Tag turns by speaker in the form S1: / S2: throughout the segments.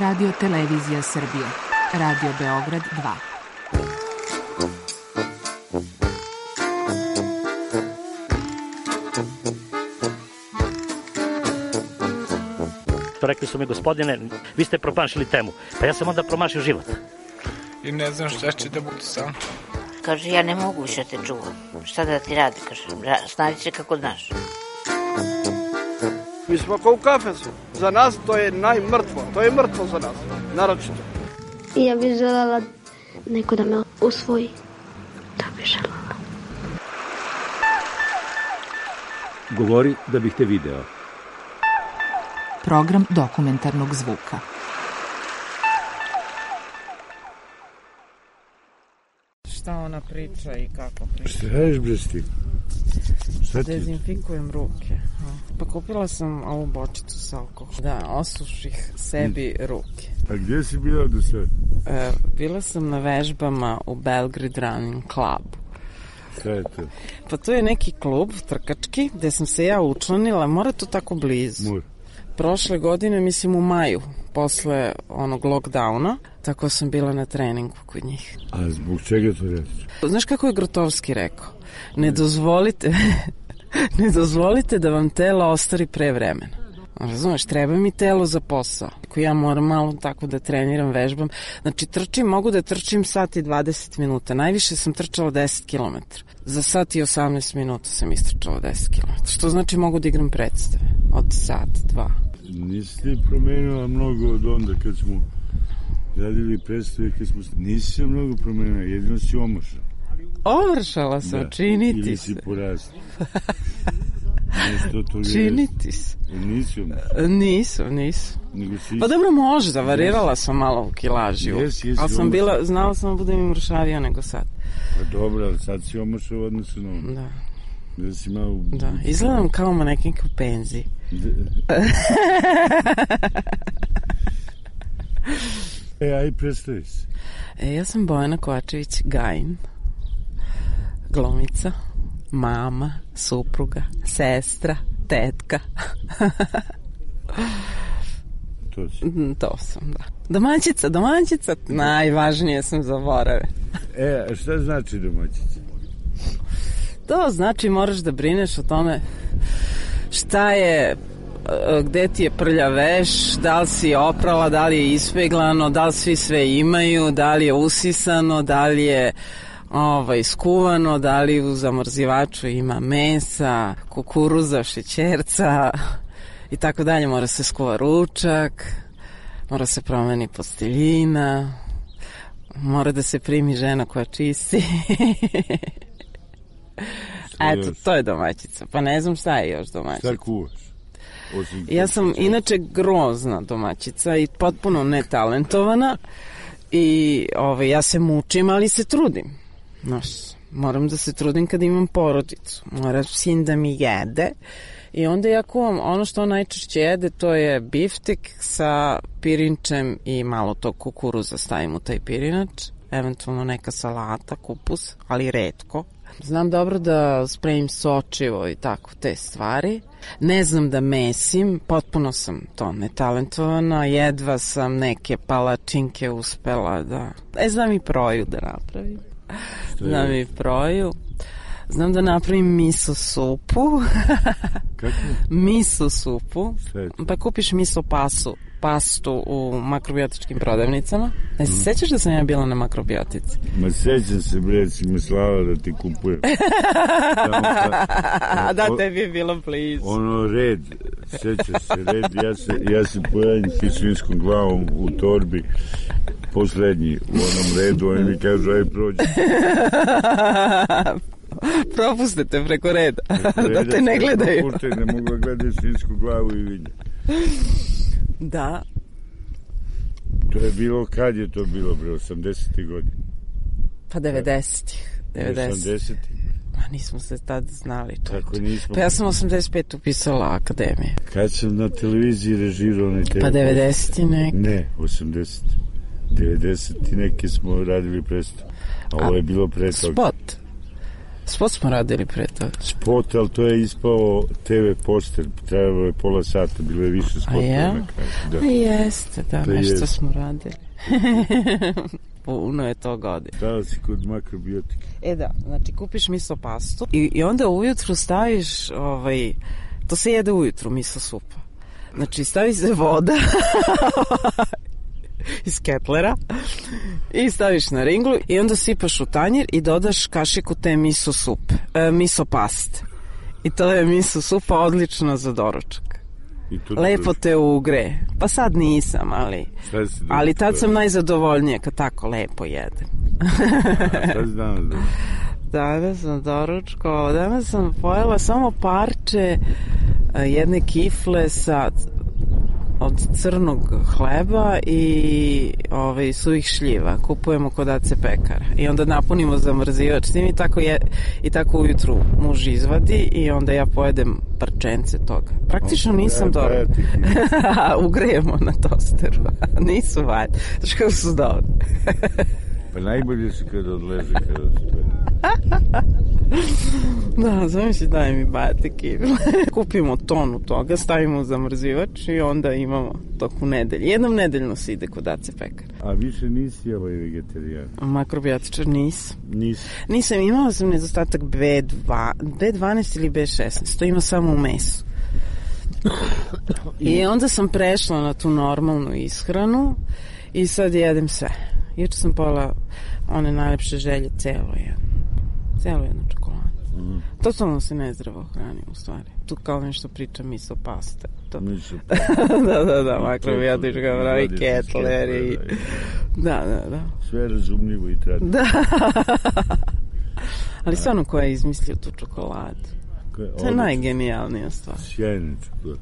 S1: Radio Televizija Srbije. Radio Beograd 2.
S2: Rekli su mi, gospodine, vi ste promašili temu. Pa ja sam onda promašio život.
S3: I ne znam šta će da bude sam.
S4: Kaže, ja ne mogu više te čuvam. Šta da ti radi, kaže, snađi se kako znaš.
S5: Mi smo kao u kafesu. Za nas to je najmrtvo. To je mrtvo za nas, naročito.
S6: I ja bih želela neko da me usvoji. To bih želela.
S7: Govori da bih te video.
S1: Program dokumentarnog zvuka.
S8: Šta ona priča i kako priča?
S9: Šta radiš, bre, s tim?
S8: Dezinfikujem ruke. Pa kupila sam ovu bočicu sa alkoholom. Da, osuših sebi ruke.
S9: A gdje si bila do sad?
S8: Bila sam na vežbama u Belgrade Running Clubu.
S9: Šta je to?
S8: Pa to je neki klub trkački gde sam se ja učlanila. Mora to tako blizu.
S9: Mora.
S8: Prošle godine, mislim u maju, posle onog lockdowna, tako sam bila na treningu kod njih.
S9: A zbog čega to radiš?
S8: Znaš kako je Grotovski rekao? Ne dozvolite da vam telo ostari pre vremena. Razumeš, treba mi telo za posao. Ako ja moram malo tako da treniram, vežbam. Znači, mogu da trčim sat i 20 minuta. Najviše sam trčala 10 km. Za sat i 18 minuta sam istrčala 10 km. Što znači mogu da igram predstave od sat, 2.
S9: Nisi ti promenila mnogo od onda kad smo radili predstave, nisi se mnogo promenila, jedino si omošala.
S8: Omršala sam, da, čini ti se.
S9: Ili si porasla.
S8: Čini ti se.
S9: Nisi omošala?
S8: Nisam. Pa dobro, možda, varirala sam malo u kilaži. Ali sam bila, znala sam da budem i mršavija nego sad.
S9: Pa dobro, ali sad si omošala odnosno na ono.
S8: Da.
S9: Da si malo...
S8: Da, izgledam kao manekinka u penziji.
S9: Aj predstavi se.
S8: Ja sam Bojana Kovačević-Gajin, glumica, mama, supruga, sestra, tetka. To sam, da. Domaćica, najvažnije sam zaborave.
S9: A šta znači domaćica?
S8: To znači moraš da brineš o tome šta je, gde ti je prlja veš, da li si oprala, da li je ispeglano, da li svi sve imaju, da li je usisano, da li je skuvano, da li u zamrzivaču ima mesa, kukuruza, šećerca i tako dalje. Mora se skuva ručak, mora se promeni posteljina, mora da se primi žena koja čisti. Eto, to je domaćica. Pa ne znam šta je još domaćica.
S9: Šta kuvaš?
S8: Ja sam inače grozna domaćica i potpuno netalentovana i ja se mučim, ali se trudim. Znaš, moram da se trudim kada imam porodicu. Mora sin da mi jede i onda ja kuvam ono što on najčešće jede, to je biftek sa pirinčem i malo tog kukuruza stavim u taj pirinač, eventualno neka salata, kupus, ali retko. Znam dobro da spremim sočivo i tako te stvari. Ne znam da mesim, potpuno sam to netalentovana, jedva sam neke palačinke uspela da... znam i proju da napravim. Znam i proju. Znam da napravim miso supu.
S9: Kako?
S8: Miso supu. Pa kupiš miso pastu u makrobiotičkim prodavnicama. Ne se sećaš da sam ja bila na makrobiotici?
S9: Ma sećam se, bre, si me slava da ti kupujem.
S8: Da, tebi je bilo blizu.
S9: Red, sećaš se, red, ja se pojavim s svinskom glavom u torbi, poslednji u onom redu, oni mi kažu, aj prođi.
S8: Propuste te preko reda, da te ne gledaju.
S9: Ne mogu gledati svinsku glavu i vidje.
S8: Da.
S9: To je bilo, kad je to bilo, bre, 80. godina?
S8: Pa 90-ih.
S9: 80-ih?
S8: Ma nismo se tad znali.
S9: Tako nismo.
S8: Pa ja sam 85 upisala akademije.
S9: Kad sam na televiziji režirao onaj
S8: Pa 90-ti neki?
S9: Ne, 80. 90-ti neki smo radili predstavu. A ovo je bilo pre toga.
S8: Spot smo radili pre toga.
S9: Spot, ali to je ispao TV poster. Trebalo je pola sata, bilo je više spotova na kraju.
S8: Da. Jeste, da, to nešto smo radili. Puno je to godine.
S9: Stala si kod makrobiotike.
S8: Da, znači kupiš miso pastu i onda ujutru staviš, to se jede ujutru, miso supa. Znači stavi se voda iz ketlera i staviš na ringlu i onda sipaš u tanjir i dodaš kašiku te miso paste. I to je miso supa odlično za doručak. Lepo te ugre. Pa sad nisam, ali tad sam najzadovoljnija kad tako lepo jedem.
S9: Šta si danas doručkao?
S8: Danas sam doručkao. Danas sam pojela samo parče jedne kifle od crnog hleba i suvih šljiva. Kupujemo kod Ace pekara. I onda napunimo zamrzivač s tim i tako ujutru muž izvadi i onda ja pojedem parčence toga. Praktično nisam dobro. Ugrejemo na tosteru. Nisu valjda. Znaš kako su dobro.
S9: Pa najbolje su kada odleže, kada stoje.
S8: Da, zamisli daj mi bate kifle. Kupimo tonu toga, stavimo u zamrzivač i onda imamo toku nedelje. Jednom nedeljno se ide kod Ace pekara.
S9: A više nisi vegetarijan?
S8: Makrobiotičar nisam, imala sam nedostatak B12 ili B16, to ima samo u mesu. I onda sam prešla na tu normalnu ishranu i sad jedem sve. Juče sam pojela one najlepše želje, celo jednu čokoladu. Totalno se nezdravo hranim u stvari. Tu kao nešto priča miso paste. Da, makrobiotička pravi ketleri. Da.
S9: Sve razumljivo i tradično.
S8: Da. Ali stvarno ko je izmislio tu čokoladu? To je najgenijalnija stvar.
S9: Sjajna čokolada.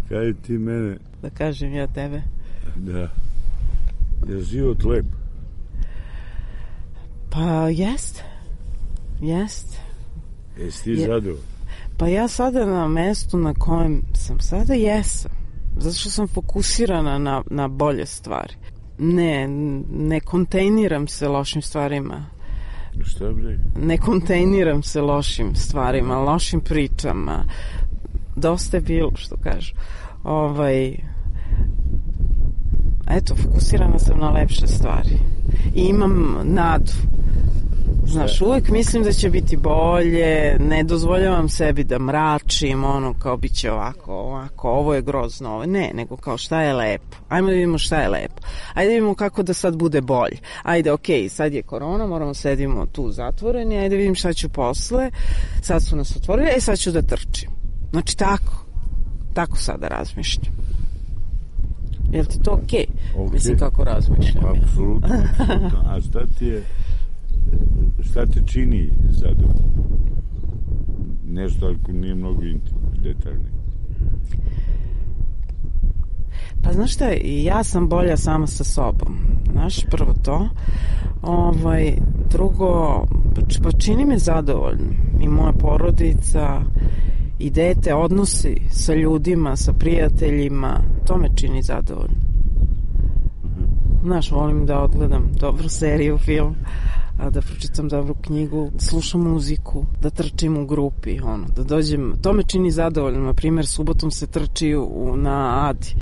S9: Kaj ti mene...
S8: Da kažem ja tebe?
S9: Da. Je život lep?
S8: Pa jest.
S9: Jesi ti zadovoljno?
S8: Pa ja sada na mestu na kojem sam sada jesam. Zato što sam fokusirana na bolje stvari. Ne kontejniram se lošim stvarima.
S9: Šta bre?
S8: Ne kontejniram se lošim stvarima, lošim pričama. Dosta je bilo, što kažu. Eto, fokusirana sam na lepše stvari. I imam nadu. Znaš, uvek mislim da će biti bolje, ne dozvoljavam sebi da mračim, kao bit će ovako, ovo je grozno, ovo. Ne, nego kao šta je lepo. Ajmo da vidimo šta je lepo. Ajde da vidimo kako da sad bude bolje. Ajde, okej, sad je korona, moramo sedimo tu zatvoreni, ajde vidim šta ću posle, sad su nas otvorili, sad ću da trčim. Znači, tako sada razmišljam. Je li ti to okej? Mislim kako razmišljam.
S9: Apsolutno. A šta te čini zadovoljno? Nešto ako nije mnogo detaljno.
S8: Pa znaš šta, ja sam bolja sama sa sobom. Znaš, prvo to. Drugo, pa čini me zadovoljno. I moja porodica, i dete, odnosi sa ljudima, sa prijateljima, to me čini zadovoljno. Znaš, volim da odgledam dobru seriju, film, da pročitam dobru knjigu, slušam muziku, da trčim u grupi, da dođem, to me čini zadovoljno. Na primjer, subotom se trči na Adi.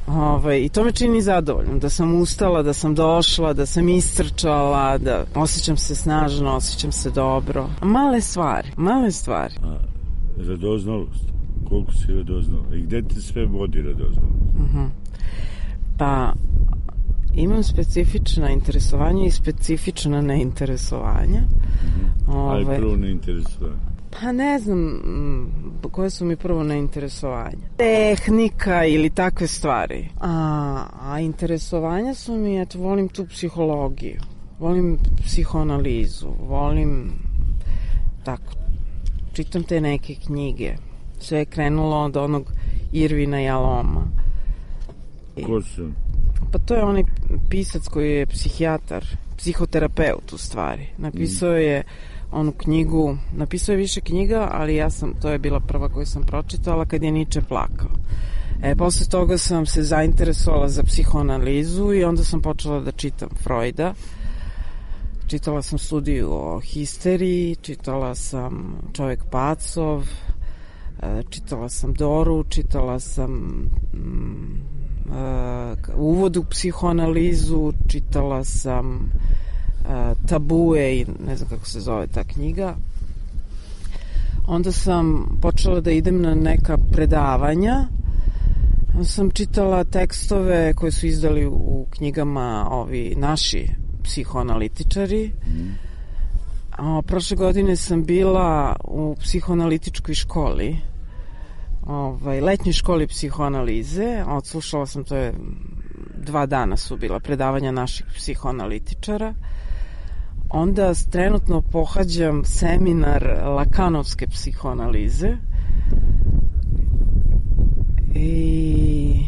S8: I to me čini zadovoljno, da sam ustala, da sam došla, da sam istrčala, da osjećam se snažno, osjećam se dobro. Male stvari.
S9: Radoznalost. Koliko si radoznala? I gde te sve vodi radoznalost?
S8: Pa, imam specifična interesovanja i specifična neinteresovanja.
S9: Ali prvo neinteresovanje?
S8: Pa ne znam koje su mi prvo neinteresovanja. Tehnika ili takve stvari. A interesovanja su mi, volim tu psihologiju. Volim psihoanalizu. Volim tako. Čitam te neke knjige. Sve je krenulo od onog Irvina Jaloma.
S9: Ko su?
S8: Pa to je onaj pisac koji je psihijatar, psihoterapeut u stvari. Napisao je onu knjigu, napisao je više knjiga, ali to je bila prva koju sam pročitala kad je Nietzsche plakao. Posle toga sam se zainteresovala za psihoanalizu i onda sam počela da čitam Freuda. čitala sam studiju o histeriji, čitala sam Čovjek pacov, čitala sam Doru, čitala sam uvod u psihoanalizu, čitala sam Tabue i ne znam kako se zove ta knjiga. Onda sam počela da idem na neka predavanja. Onda sam čitala tekstove koje su izdali u knjigama ovi naši psihoanalitičari. Prošle godine sam bila u psihoanalitičkoj školi, letnjoj školi psihoanalize. Odslušala sam, to je 2 dana su bila predavanja naših psihoanalitičara. Onda trenutno pohađam seminar lakanovske psihoanalize i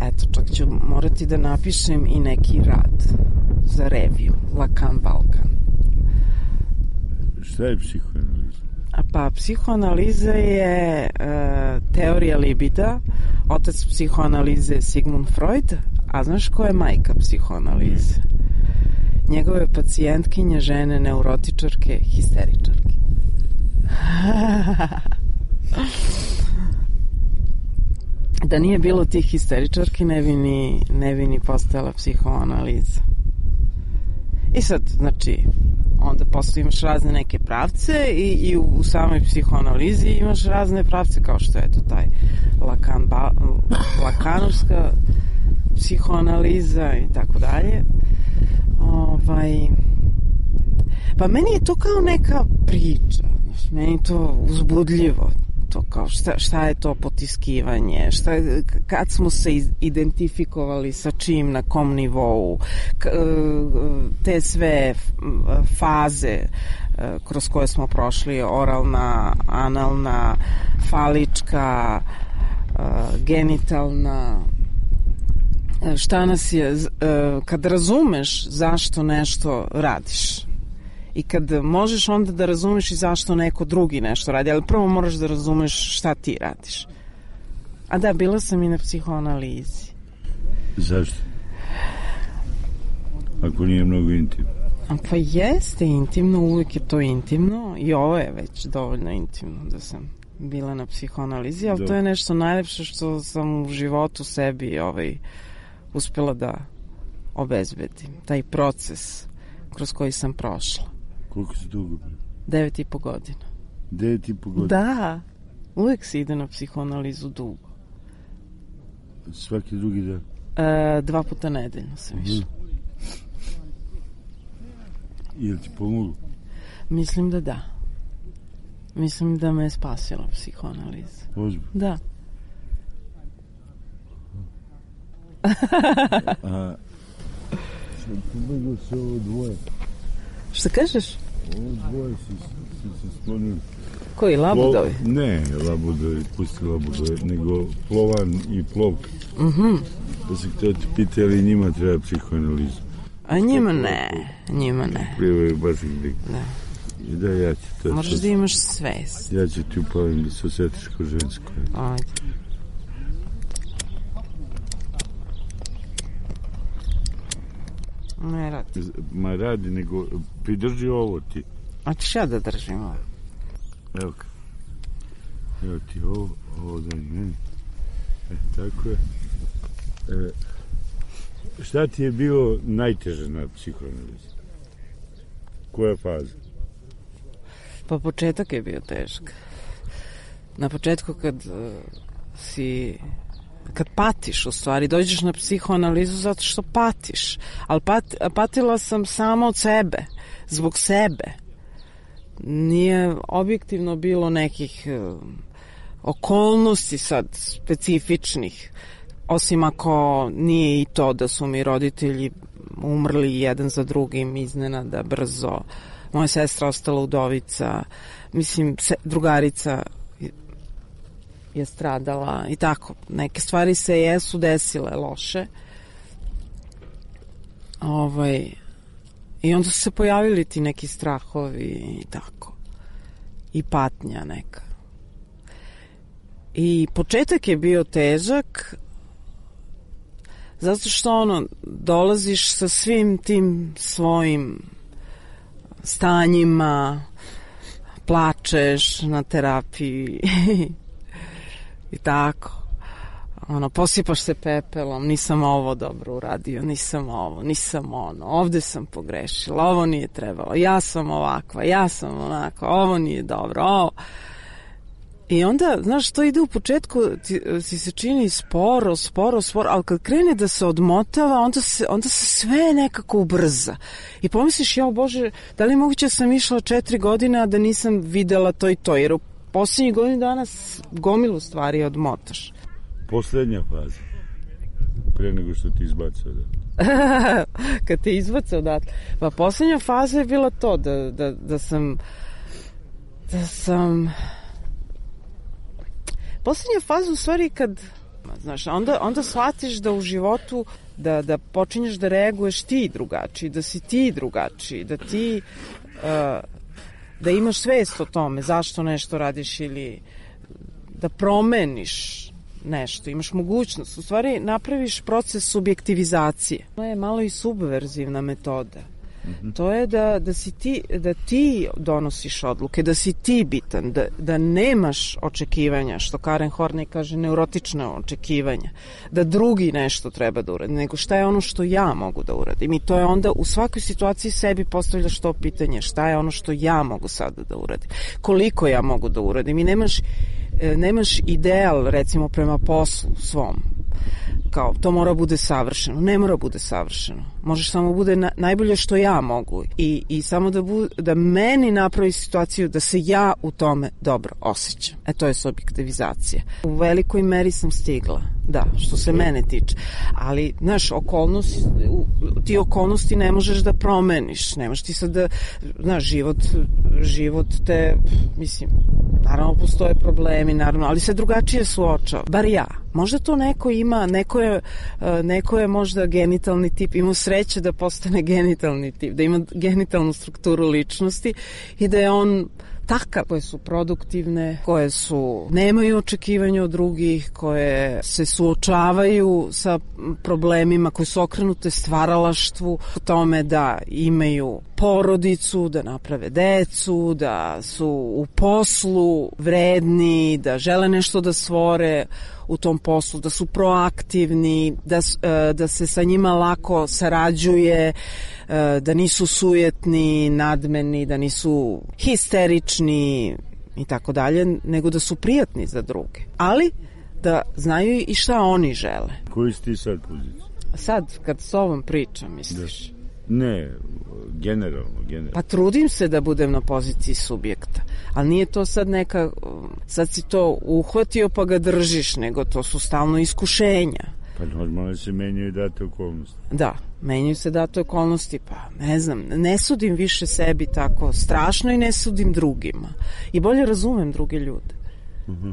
S8: eto, čak ću morati da napišem i neki rad za reviju Lakan Balkan.
S9: Šta je psihoanaliza?
S8: Pa psihoanaliza je teorija libida. Otac psihoanalize je Sigmund Freud, a znaš ko je majka psihoanalize? Njegove pacijentkinje, žene, neurotičarke, histeričarke. Da nije bilo tih histeričarki, ne bi ni postojala psihoanaliza. I sad, znači, onda posle imaš razne neke pravce i u samoj psihoanalizi imaš razne pravce, kao što je to taj lakanovska psihoanaliza i tako dalje. Pa meni je to kao neka priča, meni je to uzbudljivo, to kao šta je to potiskivanje, kad smo se identifikovali sa čim, na kom nivou, te sve faze kroz koje smo prošli, oralna, analna, falička, genitalna, šta nas je, kad razumeš zašto nešto radiš i kad možeš onda da razumeš i zašto neko drugi nešto radi, ali prvo moraš da razumeš šta ti radiš. A da, bila sam i na psihoanalizi.
S9: Zašto? Ako nije mnogo intimno.
S8: Pa jeste intimno, uvijek je to intimno i ovo je već dovoljno intimno da sam bila na psihoanalizi, ali to je nešto najlepše što sam u životu sebi uspela da obezbedim. Taj proces kroz koji sam prošla.
S9: Koliko si dugo?
S8: 9,5 godina.
S9: 9,5 godina?
S8: Da, uvek se ide na psihoanalizu dugo.
S9: Svaki drugi dan?
S8: 2 puta nedeljno sam išla.
S9: Je li ti pomoglo?
S8: Mislim da da. Mislim da me je spasila psihoanaliza.
S9: Ozbiljno?
S8: Da.
S9: Što pomoglo se ovo dvoje?
S8: Šta kažeš?
S9: Ovo dvoje si se sklonili.
S8: Koji, labudovi?
S9: Ne, labudovi, pusti labudovi, nego Plovan i Plovka. Da se htio ti pita, ali njima treba psihoanalizu.
S8: A njima ne, njima ne.
S9: Plivaju baš gdje.
S8: Da.
S9: I da, ja ću to...
S8: Moraš da imaš svest.
S9: Ja ću ti upalim da se osjetiš kao žensko.
S8: Ajde. Ne radi.
S9: Ma radi, nego pridrži ovo ti.
S8: A ćeš ja da držim ovo?
S9: Evo ka. Evo ti ovo daj meni. Tako je. Šta ti je bilo najteže na psihoanalizi? Koja faza?
S8: Pa početak je bio težak. Na početku kad patiš, u stvari, dođeš na psihoanalizu zato što patiš. Ali patila sam samo od sebe, zbog sebe. Nije objektivno bilo nekih okolnosti sad specifičnih, osim ako nije i to da su mi roditelji umrli jedan za drugim iznenada, brzo. Moja sestra ostala udovica, mislim, drugarica je stradala i tako. Neke stvari se jesu desile loše. I onda su se pojavili ti neki strahovi i tako. I patnja neka. I početak je bio težak Zato što dolaziš sa svim tim svojim stanjima, plačeš na terapiji i tako. Posipaš se pepelom, nisam ovo dobro uradio, nisam ono, ovde sam pogrešila, ovo nije trebalo, ja sam ovakva, ja sam onakva, ovo nije dobro, ovo. I onda, znaš, to ide u početku, ti se čini sporo, ali kad krene da se odmotava, onda se sve nekako ubrza. I pomisliš, jao Bože, da li je moguće da sam išla 4 godine da nisam videla to i to, jer u posljednjih godinu dana gomilu stvari odmotaš.
S9: Poslednja faza, pre nego što ti izbacao
S8: Kad te izbacao odatle. Pa poslednja faza je bila to, da sam poslednja faza u stvari kad, znaš, onda shvatiš da u životu da počinješ da reaguješ ti drugačiji, da si ti drugačiji, da ti da imaš svest o tome zašto nešto radiš ili da promeniš nešto, imaš mogućnost. U stvari napraviš proces subjektivizacije. To je malo i subverzivna metoda. To je da ti donosiš odluke, da si ti bitan, da nemaš očekivanja, što Karen Horney kaže, neurotična očekivanja, da drugi nešto treba da uradi, nego šta je ono što ja mogu da uradim. I to je onda u svakoj situaciji sebi postavljaš to pitanje, šta je ono što ja mogu sada da uradim, koliko ja mogu da uradim. I nemaš ideal, recimo, prema poslu svom, kao to mora bude savršeno. Ne mora bude savršeno. Možeš samo bude najbolje što ja mogu i samo da meni napravi situaciju da se ja u tome dobro osjećam. To je subjektivizacija. U velikoj meri sam stigla, da, što se mene tiče. Ali, znaš, ti okolnosti ne možeš da promeniš. Ne možeš ti sad da, znaš, život te, mislim, naravno postoje problemi, naravno, ali se drugačije suočava. Bar ja. Možda to neko ima, neko je možda genitalni tip, ima sreće da postane genitalni tip, da ima genitalnu strukturu ličnosti i da je on takav, koje su produktivne, koje nemaju očekivanja od drugih, koje se suočavaju sa problemima, koje su okrenute stvaralaštvu, u tome da imaju porodicu, da naprave decu, da su u poslu vredni, da žele nešto da stvore u tom poslu, da su proaktivni, da se sa njima lako sarađuje, da nisu sujetni, nadmeni, da nisu histerični i tako dalje, nego da su prijatni za druge. Ali da znaju i šta oni žele.
S9: Koji si ti sad pozicija?
S8: Sad, kad s ovom pričam, misliš?
S9: Ne, generalno.
S8: Pa trudim se da budem na poziciji subjekta, ali nije to sad sad si to uhvatio pa ga držiš, nego to su stalno iskušenja.
S9: Pa normalno se menjaju date okolnosti.
S8: Da, menjaju se date okolnosti, pa ne znam, ne sudim više sebi tako strašno i ne sudim drugima. I bolje razumem druge ljude.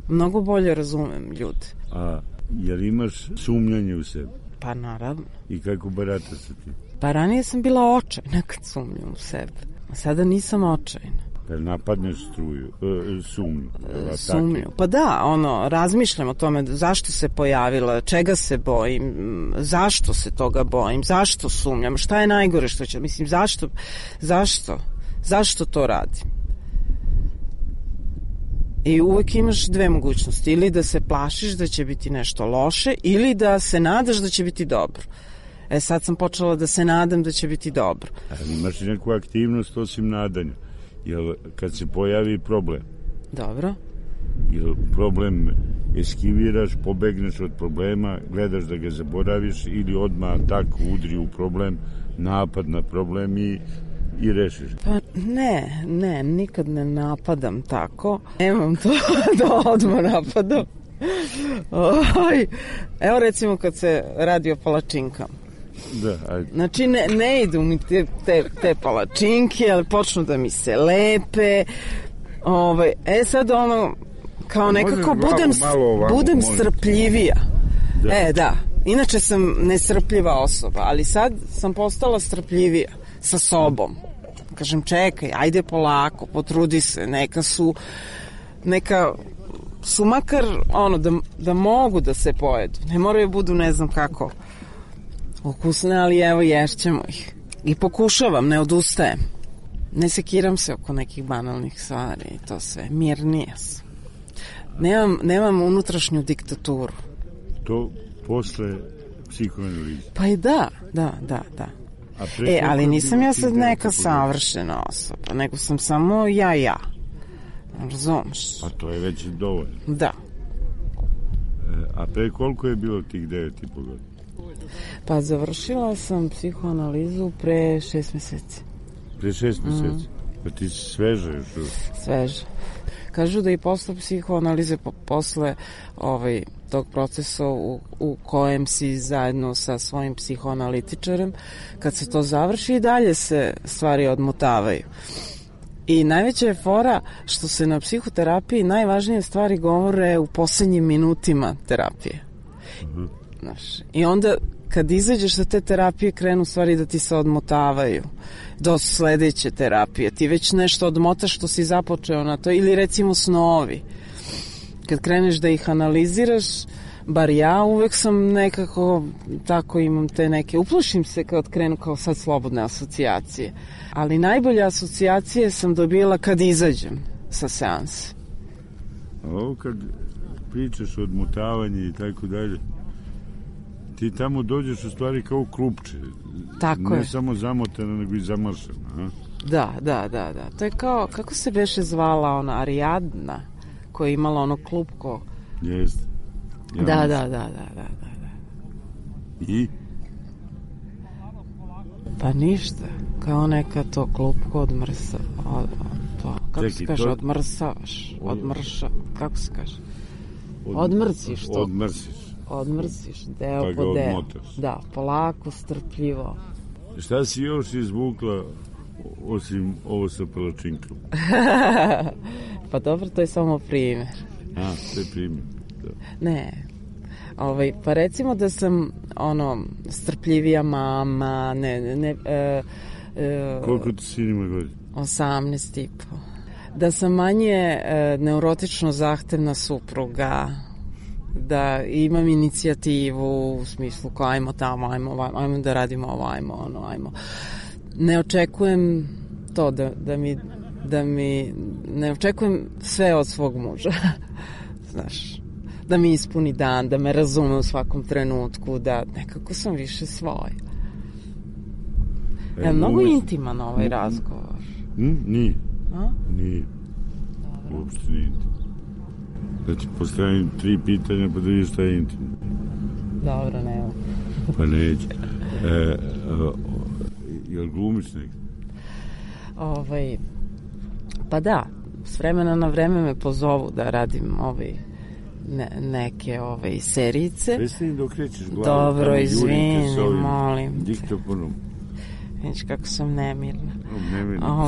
S8: Mnogo bolje razumem ljude.
S9: A jel imaš sumnjanje u sebi?
S8: Pa naravno.
S9: I kako barata sa ti?
S8: Pa ranije sam bila očajna kad sumnjam u sebe. A sada nisam očajna.
S9: Pa napadneš sumnju?
S8: Sumnju. Pa da, razmišljam o tome zašto se pojavila, čega se bojim, zašto se toga bojim, zašto sumnjam, šta je najgore što će, mislim, zašto to radim? I uvek imaš dve mogućnosti, ili da se plašiš da će biti nešto loše, ili da se nadaš da će biti dobro. Sad sam počela da se nadam da će biti dobro.
S9: Ali imaš neku aktivnost osim nadanja? Jel kad se pojavi problem?
S8: Dobro.
S9: Jel problem eskiviraš, pobegneš od problema, gledaš da ga zaboraviš ili odmah tako udri u problem, napad na problem i rešiš?
S8: Pa ne, nikad ne napadam tako. Nemam to da odmah napadam. Evo recimo kad se radi o palačinkama.
S9: Da, ajde.
S8: Znači ne idu mi te palačinke, ali počnu da mi se lepe. Sad kao nekako budem strpljivija. Da. Da. Inače sam nesrpljiva osoba, ali sad sam postala strpljivija sa sobom. Kažem, čekaj, ajde polako, potrudi se, neka su makar da mogu da se pojedu. Ne moraju budu ne znam kako Ukusne, ali evo ješćemo ih. I pokušavam, ne odustajem. Ne sekiram se oko nekih banalnih stvari i to sve. Mirnije sam. Nemam unutrašnju diktaturu.
S9: To posle psihoanalize.
S8: Pa i da. Ali nisam ja sad neka savršena osoba, nego sam samo ja. Razumeš?
S9: Pa to je već dovoljno.
S8: Da.
S9: A pre koliko je bilo tih 9,5 godina?
S8: Pa završila sam psihoanalizu pre 6 meseci.
S9: Pre 6 meseci? Pa ti si sveža još?
S8: Sveža. Kažu da i posle psihoanalize, posle tog procesa u kojem si zajedno sa svojim psihoanalitičarem, kad se to završi i dalje se stvari odmotavaju. I najveća je fora što se na psihoterapiji najvažnije stvari govore u poslednjim minutima terapije. Znaš, i onda kad izađeš sa te terapije krenu stvari da ti se odmotavaju do sledeće terapije. Ti već nešto odmotaš što si započeo na to, ili recimo snovi. Kad kreneš da ih analiziraš, bar ja uvek sam nekako, tako imam te neke, uplošim se kad krenu kao sad slobodne asocijacije. Ali najbolje asocijacije sam dobila kad izađem sa seanse.
S9: A ovo kad pričaš o odmotavanju i tako dalje, ti tamo dođeš u stvari kao klupče.
S8: Tako je.
S9: Ne samo zamotana, nego i zamaršana. A?
S8: Da. To je kao, kako se beše zvala ona Ariadna, koja je imala ono klupko.
S9: Jeste.
S8: Da.
S9: I?
S8: Pa ništa. Kao neka to klupko odmrsa. Kako se kaže? Odmrsavaš. Kako se kaže? Odmrsiš to. Odmrsiš, deo
S9: pa
S8: po deo.
S9: Odmotaš.
S8: Da, polako, strpljivo.
S9: Šta si još izvukla osim ovo sa palačinkom?
S8: Pa dobro, to je samo primjer.
S9: To je primjer. Da.
S8: Ne. Pa recimo da sam strpljivija mama,
S9: koliko ti sin ima godina?
S8: 18,5. Da sam manje neurotično zahtevna supruga, da imam inicijativu u smislu kao ajmo tamo, ajmo da radimo ovo, ajmo. Ne očekujem to da mi ne očekujem sve od svog muža. Znaš, da mi ispuni dan, da me razume u svakom trenutku, da nekako sam više svoj. Mnogo intiman ovaj razgovor.
S9: Nije. Nije. Uopšte nije intiman. Da ti postavim 3 pitanja pa da vidiš šta je intimno.
S8: Dobro, nema.
S9: Pa neće. Jel glumiš nekako?
S8: Pa da, s vremena na vreme me pozovu da radim neke serijice.
S9: Prestani da okrećeš glavu.
S8: Dobro, izvini, molim.
S9: Diktofonom.
S8: Vidiš kako sam nemirna.
S9: Nemirna.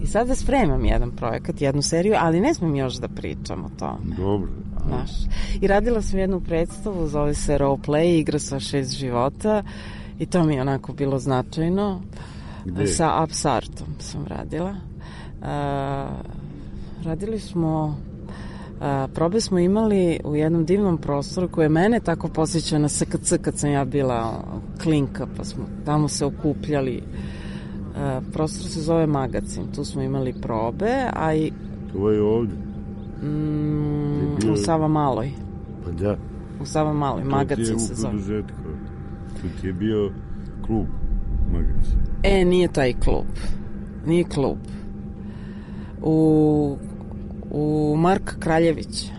S8: I sada spremam jedan projekat, jednu seriju, ali ne smem još da pričam o tome.
S9: Dobro.
S8: Znaš. I radila sam jednu predstavu, zove se Roleplay, igra sa 6 života, i to mi je onako bilo značajno.
S9: Gde?
S8: Sa Apsartom sam radila. Radili smo, probe smo imali u jednom divnom prostoru koje mene tako posjeća na SKC kad sam ja bila klinka, pa smo tamo se okupljali. Prostor se zove Magacin, tu smo imali probe, a i...
S9: To je ovdje?
S8: U Savamaloj.
S9: Pa da.
S8: U Savamaloj, Magacin se zove.
S9: To ti je u produžetku. To ti je bio klub Magacin.
S8: Nije taj klub. Nije klub. U Mark Kraljevića.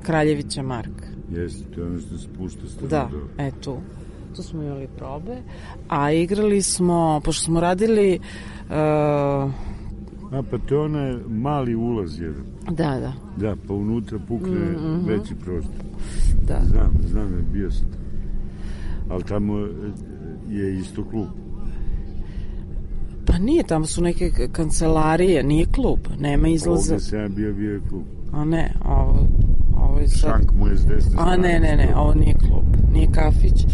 S8: Kraljevića Mark.
S9: Jeste, to je ono što se pušta strano.
S8: Da, tu. Tu smo imali probe, a igrali smo, pošto smo radili...
S9: pa to je onaj mali ulaz jedan.
S8: Da.
S9: Da, pa unutra pukne veći prostor.
S8: Da.
S9: Znam, bio sam tamo. Ali tamo je isto klub.
S8: Pa nije, tamo su neke kancelarije, nije klub, nema izlaza.
S9: Ovdje sam bio je klub.
S8: A ne, ovo je sad...
S9: Šank mu je s desne strane.
S8: Ne, ovo nije klub, nije kafić.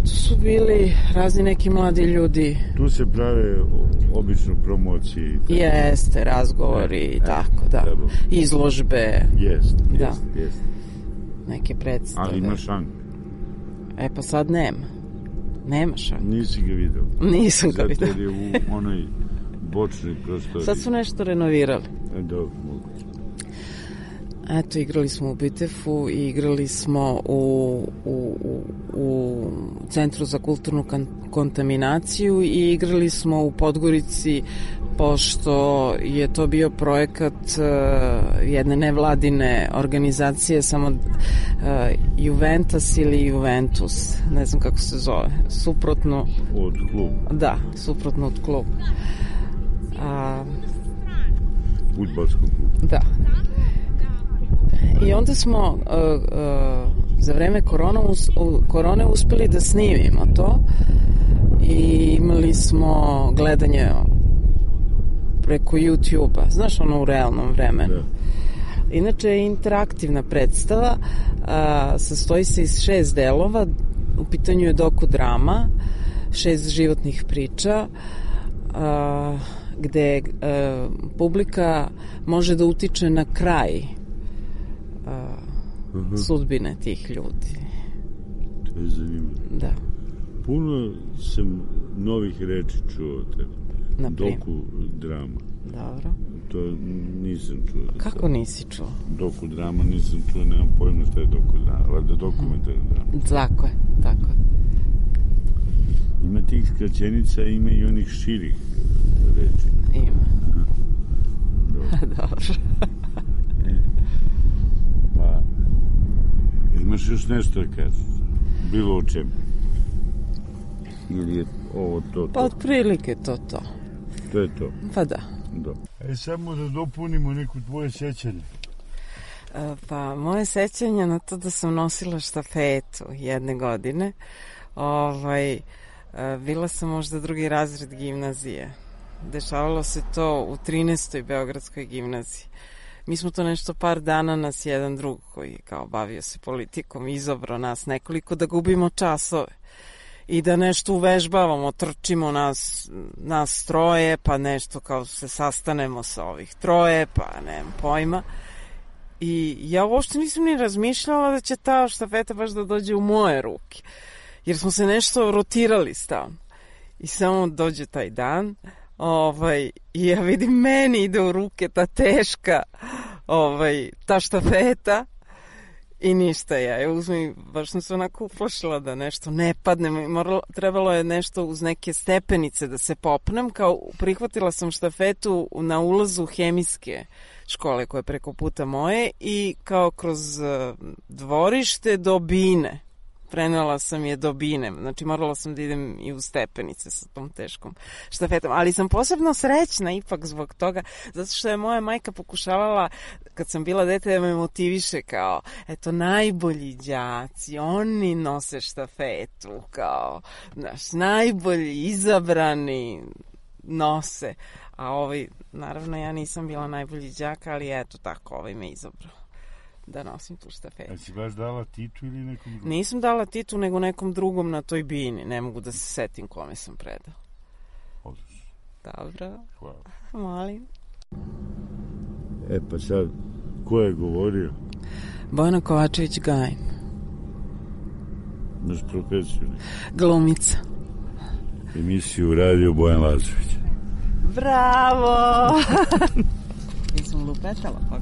S8: Tu su bili razni neki mladi ljudi.
S9: Tu se prave obično promocije.
S8: Jeste, razgovori i tako, da. Izložbe.
S9: Jeste.
S8: neke predstave.
S9: Ali ima šank.
S8: E pa sad nema šank.
S9: Nisi ga video?
S8: Nisam ga video.
S9: Zato je u onoj bočnoj prostoriji.
S8: Sad su nešto renovirali.
S9: Dobro, moguće.
S8: Eto, igrali smo u Bitefu i igrali smo u Centru za kulturnu kontaminaciju i igrali smo u Podgorici, pošto je to bio projekat jedne nevladine organizacije, samo Juventus ili Juventus, ne znam kako se zove, suprotno
S9: od kluba.
S8: Da, suprotno od kluba.
S9: Fudbalskog kluba.
S8: Da. I onda smo za vreme korone uspeli da snimimo to i imali smo gledanje preko YouTube-a, znaš, ono u realnom vremenu. Da. Inače je interaktivna predstava, sastoji se iz 6 delova, u pitanju je dokudrama, 6 životnih priča, gde publika može da utiče na kraj sudbine tih ljudi.
S9: To je zanimljivo.
S8: Da.
S9: Puno sam novih reči čuo o tebi. Doku drama.
S8: Dobro.
S9: To nisam čuo.
S8: Kako nisi čuo?
S9: Doku drama nisam čuo, nemam pojma šta je doku drama. Valjda dokumentarna drama.
S8: Tako je.
S9: Ima tih skraćenica, ima i onih širih reči.
S8: Ima.
S9: Dobro. Pa, imaš još nešto da kažeš? Bilo o čemu? Ili je ovo to?
S8: Pa otprilike to.
S9: To je to?
S8: Pa da.
S9: Samo da dopunimo neko tvoje sećanje.
S8: Pa moje sećanje na to da sam nosila štafetu jedne godine. Bila sam možda 2. razred gimnazije. Dešavalo se to u 13. Beogradskoj gimnaziji. Mi smo to nešto par dana, nas jedan drug koji kao bavio se politikom izabrao nas nekoliko da gubimo časove i da nešto uvežbavamo, trčimo nas troje, pa nešto kao se sastanemo sa ovih troje, pa nemam pojma. I ja uopšte nisam ni razmišljala da će ta štafeta baš da dođe u moje ruke, jer smo se nešto rotirali stavno. I samo dođe taj dan, i ja vidim meni ide u ruke ta teška ta štafeta i ništa, ja je uzmem, baš sam se onako uplašila da nešto ne padne, trebalo je nešto uz neke stepenice da se popnem, kao prihvatila sam štafetu na ulazu hemijske škole koja je preko puta moje i kao kroz dvorište do bine. Prenela sam je do bine, znači morala sam da idem i u stepenice sa tom teškom štafetom, ali sam posebno srećna ipak zbog toga, zato što je moja majka pokušavala, kad sam bila dete, da me motiviše kao, eto, najbolji đaci, oni nose štafetu, kao, znaš, najbolji, izabrani nose, a naravno ja nisam bila najbolji đak, ali eto tako, me izabrao da nosim tu štafetu.
S9: A si baš dala Titu ili nekom drugom? Nisam
S8: dala Titu, nego nekom drugom na toj bini. Ne mogu da se setim kome sam predala.
S9: Odlično.
S8: Dobro.
S9: Hvala.
S8: Molim.
S9: Pa sad, ko je govorio?
S8: Bojana Kovačević-Gajin.
S9: Naš profesiju?
S8: Glumica.
S9: Emisiju radio Bojan Lazović.
S8: Bravo! Nisam lupetala, pa.